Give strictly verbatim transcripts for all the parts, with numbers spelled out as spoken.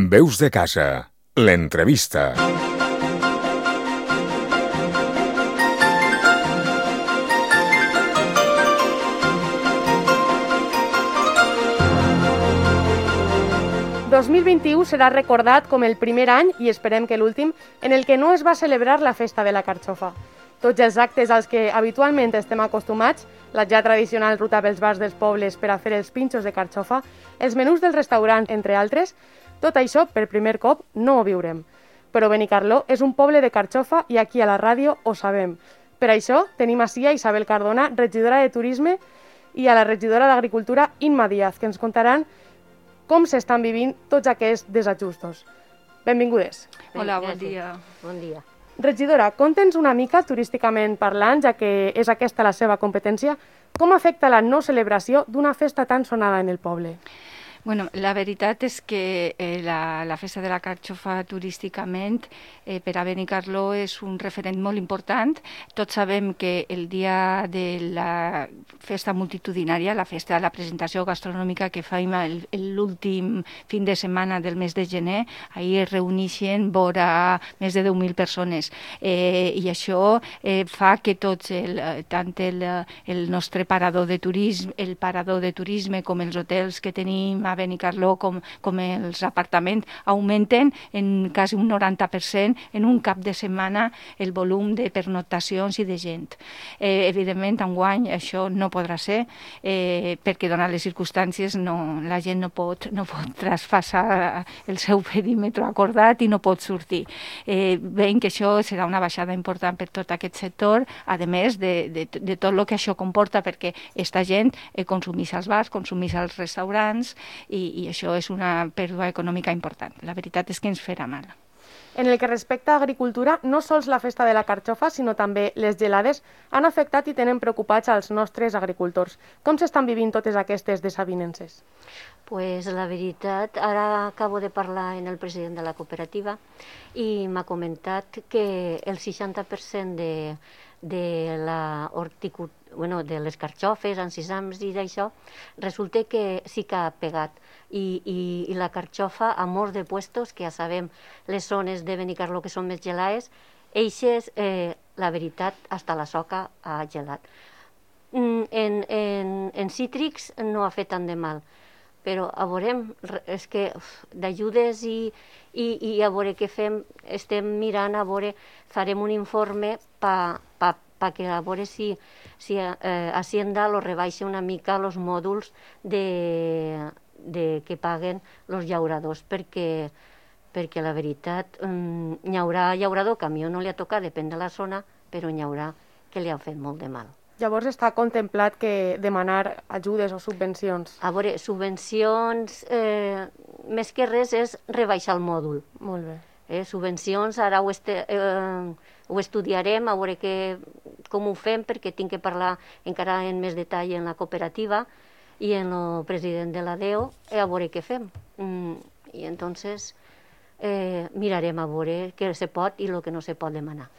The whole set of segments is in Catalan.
Veus de casa, l'entrevista. dos mil vint-i-u serà recordat com el primer any, i esperem que l'últim, en el que no es va celebrar la festa de la carxofa. Tots els actes als que habitualment estem acostumats, la ja tradicional ruta pels bars dels pobles per a fer els pinxos de carxofa, els menús dels restaurants, entre altres, tot això, per primer cop, no ho viurem. Però Benicarló és un poble de carxofa i aquí a la ràdio ho sabem. Per això tenim ací a Isabel Cardona, regidora de Turisme, i a la regidora d'Agricultura, Imma Díaz, que ens contaran com s'estan vivint tots aquests desajustos. Benvingudes. Hola, bon dia. Bon dia. Regidora, conta'ns una mica, turísticament parlant, ja que és aquesta la seva competència, com afecta la no celebració d'una festa tan sonada en el poble? Bueno, la veritat és que eh, la, la festa de la carxofa turísticament eh, per a Benicarló és un referent molt important. Tots sabem que el dia de la festa multitudinària, la festa de la presentació gastronòmica que fem l'últim fin de setmana del mes de gener, ahir es reuneixen vora més de deu mil persones. Eh, I això eh, fa que tots, el, tant el, el nostre parador de turisme, el parador de turisme com els hotels que tenim a Benicarló com, com els apartaments augmenten en quasi un noranta per cent en un cap de setmana el volum de pernoctacions i de gent. Eh, evidentment, enguany això no podrà ser eh, perquè, donat les circumstàncies, no, la gent no pot, no pot traspassar el seu perímetre acordat i no pot sortir. Eh, veiem que això serà una baixada important per tot aquest sector, a més de, de, de tot el que això comporta, perquè aquesta gent eh, consumís als bars, consumís als restaurants, I, i això és una pèrdua econòmica important. La veritat és que ens farà mal. En el que respecta a agricultura, no sols la festa de la carxofa, sinó també les gelades han afectat i tenen preocupats als nostres agricultors. Com s'estan vivint totes aquestes desavinences? Pues la veritat, ara acabo de parlar amb el president de la cooperativa i m'ha comentat que el seixanta per cent de, de, la horticultura, bueno, de les carxofes, encisams i d'això, resulta que sí que ha pegat. I, i, i la carxofa a molts de puestos, que ja sabem les zones de Benicarló que són més gelades, eixes, eh, la veritat, hasta la soca ha gelat. En, en, en cítrics no ha fet tant de mal, però a veurem, és que d'ajudes i, i, i a veure què fem, estem mirant, a veure, farem un informe per pa, pa que a veure si, si eh, Hacienda lo rebaixa una mica els mòduls de, de que paguen els llauradors, perquè, perquè la veritat, um, hi haurà llaurador que a mi no li ha tocat, depèn de la zona, però hi haurà que li han fet molt de mal. Llavors està contemplat que demanar ajudes o subvencions? A veure, subvencions, eh, més que res és rebaixar el mòdul. Molt bé. Eh, subvencions, ara ho, este, eh, ho estudiarem, a veure que, com ho fem, perquè tinc que parlar encara en més detall en la cooperativa i en el president de la D E O, eh, a veure què fem. Mm, I entonces eh, mirarem a veure què se pot i el que no se pot demanar.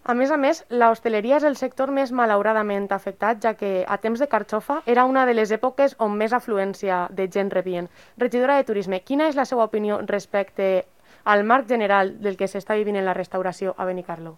A més a més, la hostaleria és el sector més malauradament afectat, ja que a temps de carxofa era una de les èpoques on més afluència de gent rebien. Regidora de Turisme, quina és la seva opinió respecte al marc general del que s'està vivint en la restauració a Benicarló?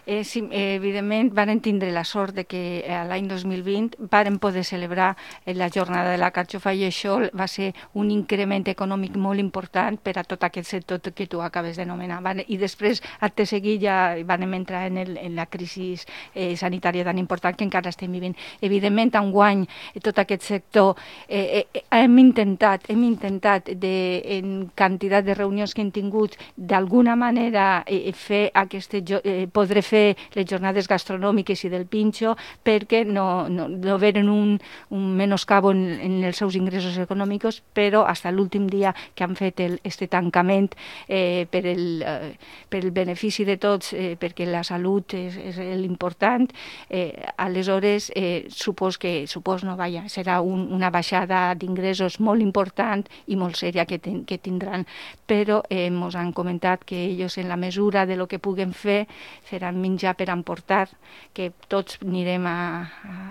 Eh, sí, eh, evidentment, varen tindre la sort de que eh, l'any dos mil vint varen poder celebrar eh, la jornada de la carxofa i això va ser un increment econòmic molt important per a tot aquest sector que tu acabes d'anomenar. I després, acte seguit, ja vam entrar en, el, en la crisi eh, sanitària tan important que encara estem vivint. Evidentment, enguany, tot aquest sector eh, eh, hem intentat, hem intentat de, en quantitat de reunions que hem tingut d'alguna manera eh, fer aquestes, eh, podré fer les jornades gastronòmiques i del pinxo perquè no, no, no veren un, un menoscabo en, en els seus ingressos econòmics, però fins a l'últim dia que han fet el, este tancament eh, per, el, eh, per el benefici de tots, eh, perquè la salut és, és l'important, eh, aleshores eh, supos que supos no vaja, serà un, una baixada d'ingressos molt important i molt sèria que, ten, que tindran, però eh, ens han comentat que ells, en la mesura de lo que puguen fer, faran menjar per emportar, que tots anirem a,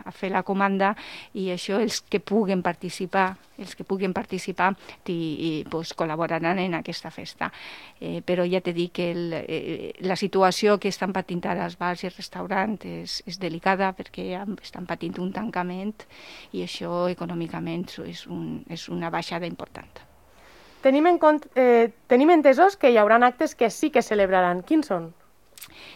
a fer la comanda, i això els que puguen participar, els que puguen participar i, i pues, col·laboraran en aquesta festa. Eh, però ja t'he dit que el, eh, la situació que estan patint ara els bars i els restaurants és, és delicada, perquè estan patint un tancament i això econòmicament és, un, és una baixada important. Tenim, en compte, eh, tenim entesos que hi haurà actes que sí que celebraran. Quins són?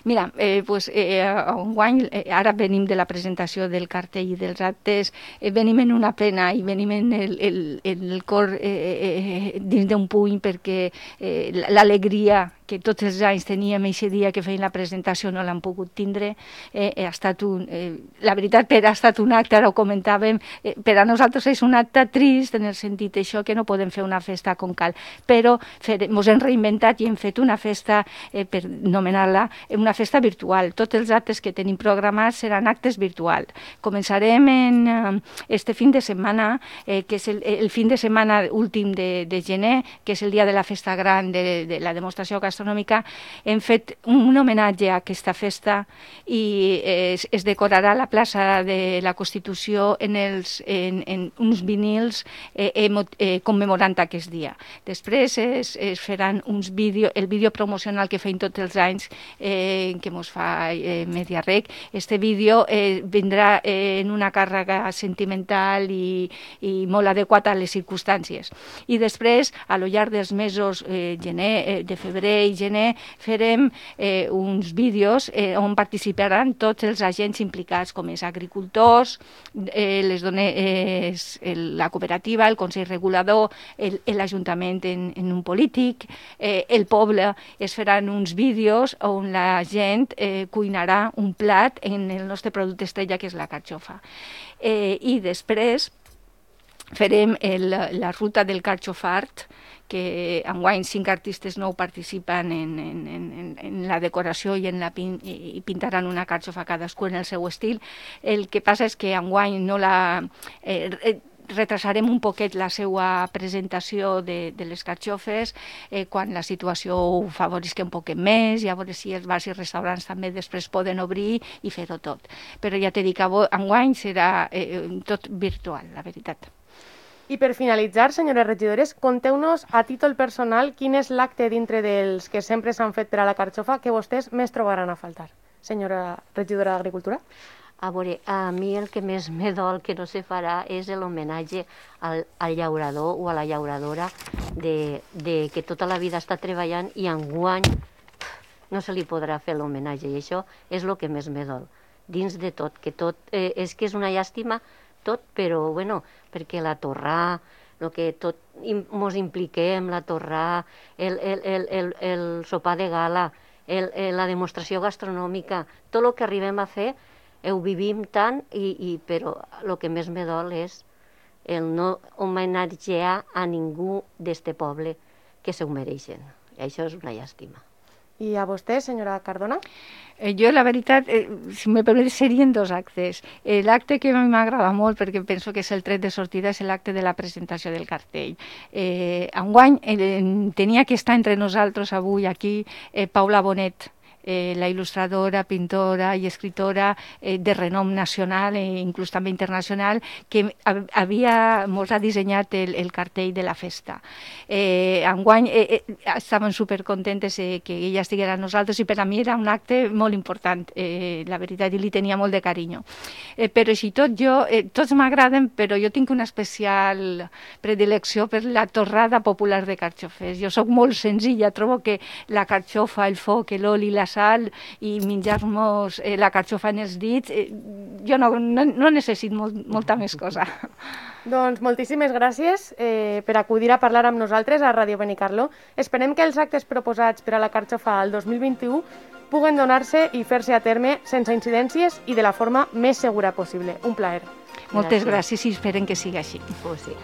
Mira, eh, pues, eh, enguany, eh, ara venim de la presentació del cartell i dels actes, eh, venim en una pena i venim en el, el, el cor eh, eh, dins d'un puny, perquè eh, l'alegria que tots els anys teníem aquest dia que feien la presentació no l'han pogut tindre. Eh, ha estat un, eh, la veritat, per ha estat un acte, ara ho comentàvem, eh, per a nosaltres és un acte trist en el sentit això que no podem fer una festa com cal, però ens hem reinventat i hem fet una festa, eh, per anomenar-la, una festa virtual. Tots els actes que tenim programats seran actes virtuals. Començarem en eh, este fin de setmana, eh, que és el, el fin de setmana últim de, de gener, que és el dia de la festa gran de, de la demostració gastronòmica. Hem fet un homenatge a aquesta festa i es, es decorarà la plaça de la Constitució en, els, en, en uns vinils eh, eh, commemorant aquest dia. Després es, es faran uns vídeos, el vídeo promocional que feim tots els anys, eh, que mos fa eh, Mediarrec. Este vídeo eh, vindrà eh, en una càrrega sentimental i, i molt adequat a les circumstàncies. I després, a lo llarg dels mesos eh, gener, eh, de febrer i gener, farem eh, uns vídeos eh, on participaran tots els agents implicats, com els agricultors, eh, les dones, eh, la cooperativa, el Consell Regulador, l'Ajuntament en, en un polític, eh, el poble. Es faran uns vídeos on la gent eh, cuinarà un plat en el nostre producte estrella, que és la carxofa. Eh, I després farem el, la ruta del carxofart, que enguany cinc artistes nou participen en, en, en, en la decoració i, en la pin, i pintaran una carxofa cadascú en el seu estil. El que passa és que enguany no la... Eh, retrasarem un poquet la seva presentació de, de les carxofes eh, quan la situació ho favorisca un poquet més, i a veure si els bars i restaurants també després poden obrir i fer-ho tot. Però ja t'he dit que enguany serà eh, tot virtual, la veritat. I per finalitzar, senyores regidores, conteu-nos a títol personal quin és l'acte dintre dels que sempre s'han fet per a la carxofa que vostès més trobaran a faltar. Senyora regidora d'Agricultura. A veure, a mi el que més me dol que no se farà és l'homenatge al, al llaurador o a la llauradora de, de que tota la vida està treballant i enguany no se li podrà fer l'homenatge, i això és el que més me dol. Dins de tot, que tot, eh, és que és una llàstima tot, però bueno, perquè la torrà, el que tot mos impliquem, la torrà, el, el, el, el, el sopar de gala, el, el, la demostració gastronòmica, tot el que arribem a fer ho vivim tant, i, i, però el que més me dol és el no homenatgear a ningú d'este poble que s'ho mereixen. I això és una llàstima. I a vostè, senyora Cardona? Eh, jo, la veritat, eh, si me permet, serien dos actes. Eh, l'acte que a mi m'agrada molt, perquè penso que és el tret de sortida, és l'acte de la presentació del cartell. Eh, enguany eh, tenia que estar entre nosaltres avui aquí eh, Paula Bonet, Eh, la il·lustradora, pintora i escritora eh, de renom nacional e inclús també internacional, que havia, mos ha dissenyat el, el cartell de la festa. Eh, enguany eh, eh, estàvem supercontentes eh, que ella estiguera amb nosaltres, i per a mi era un acte molt important, eh, la veritat, i li tenia molt de carinyo. Eh, però així tot, jo, eh, tots m'agraden, però jo tinc una especial predilecció per la torrada popular de carxofers. Jo sóc molt senzilla, trobo que la carxofa, el foc, l'oli, la sal i menjar-nos eh, la carxofa en els dits, eh, jo no, no, no necessito molt, molta més cosa. Doncs moltíssimes gràcies eh, per acudir a parlar amb nosaltres a Ràdio Benicarló. Esperem que els actes proposats per a la carxofa al dos mil vint-i-u puguen donar-se i fer-se a terme sense incidències i de la forma més segura possible. Un plaer. Moltes gràcies, gràcies i esperem que sigui així. Oh, sí.